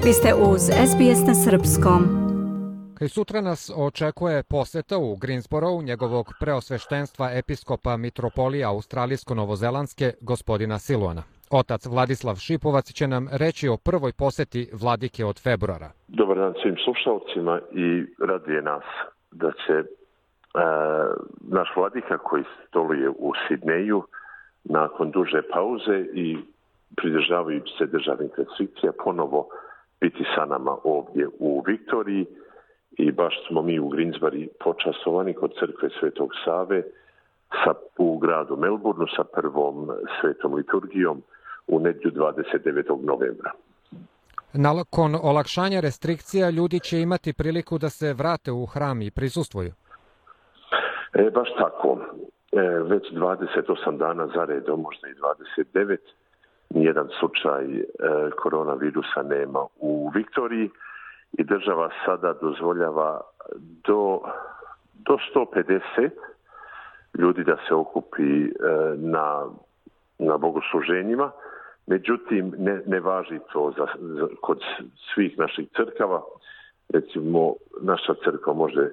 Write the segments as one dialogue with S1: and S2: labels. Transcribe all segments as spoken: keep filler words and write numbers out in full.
S1: Vi ste uz S B S na srpskom.
S2: Kaj sutra nas očekuje poseta u Greensborough njegovog preosveštenstva episkopa mitropolije australijsko-novozelandske gospodina Siluana. Otac Vladislav Šipovac će nam reći o prvoj poseti vladike od februara.
S3: Dobar dan svim slušalcima i raduje nas da će e, naš vladika koji stoluje u Sidneju nakon duže pauze i pridržavajući se državnih restrikcija ponovo biti sa nama ovdje u Viktoriji i baš smo mi u Greensboro počastovani kod crkve Svetog Save sa, u gradu Melbourneu sa prvom svetom liturgijom u nedjelju dvadeset devetog novembra.
S2: Nakon olakšanja restrikcija ljudi će imati priliku da se vrate u hram i prisustvuju.
S3: E, baš tako. E, već dvadeset osam dana za redom, možda i dvadeset devet, nijedan slučaj e, koronavirusa nema u Viktoriji i država sada dozvoljava do, do sto pedeset ljudi da se okupi e, na, na bogosluženjima. Međutim, ne, ne važi to za, za, kod svih naših crkava. Recimo, naša crkva može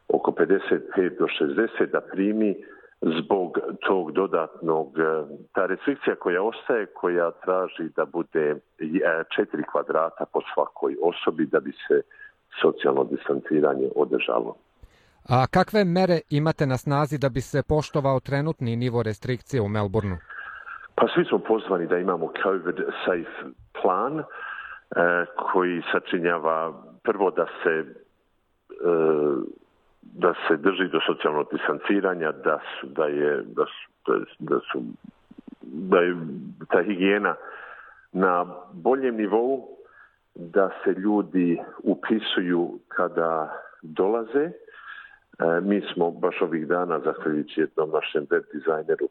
S3: oko pedeset pet do šezdeset da primi zbog tog dodatnog, ta restrikcija koja ostaje, koja traži da bude četiri kvadrata po svakoj osobi da bi se socijalno distanciranje održalo.
S2: A kakve mere imate na snazi da bi se poštovao trenutni nivo restrikcije u Melbourneu?
S3: Pa svi smo pozvani da imamo COVID safe plan eh, koji sačinjava prvo da se eh, da se drži do socijalnog distanciranja, da su, da je da su, da su da je ta higijena na boljem nivou, da se ljudi upisuju kada dolaze. E, mi smo baš ovih dana, zahvaljujući jednom našem web dizajneru,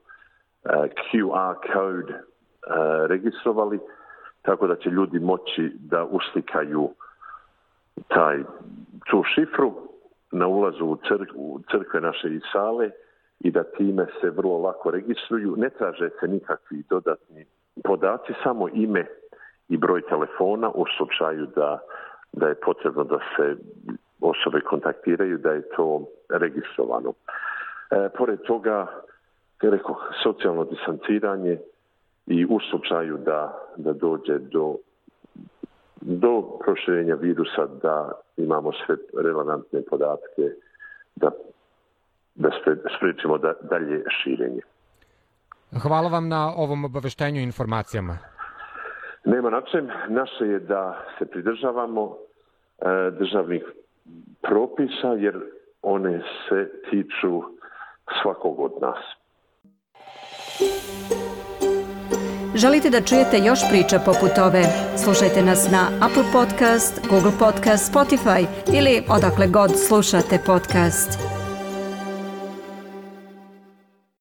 S3: e, Q R code e, registrovali, tako da će ljudi moći da uslikaju taj, tu šifru na ulazu u, crk, u crkve naše i sale i da time se vrlo lako registruju. Ne traže se nikakvi dodatni podaci, samo ime i broj telefona u slučaju da, da je potrebno da se osobe kontaktiraju, da je to registrovano. E, pored toga, rekao, socijalno distanciranje i u slučaju da, da dođe do do proširenja virusa da imamo sve relevantne podatke da, da spriječimo da, dalje širenje.
S2: Hvala vam na ovom obaveštenju i informacijama.
S3: Nema na čem. Naše je da se pridržavamo e, državnih propisa jer one se tiču svakog od nas.
S1: Želite da čujete još priča poput ove? Slušajte nas na Apple Podcast, Google Podcast, Spotify ili odakle god slušate podcast.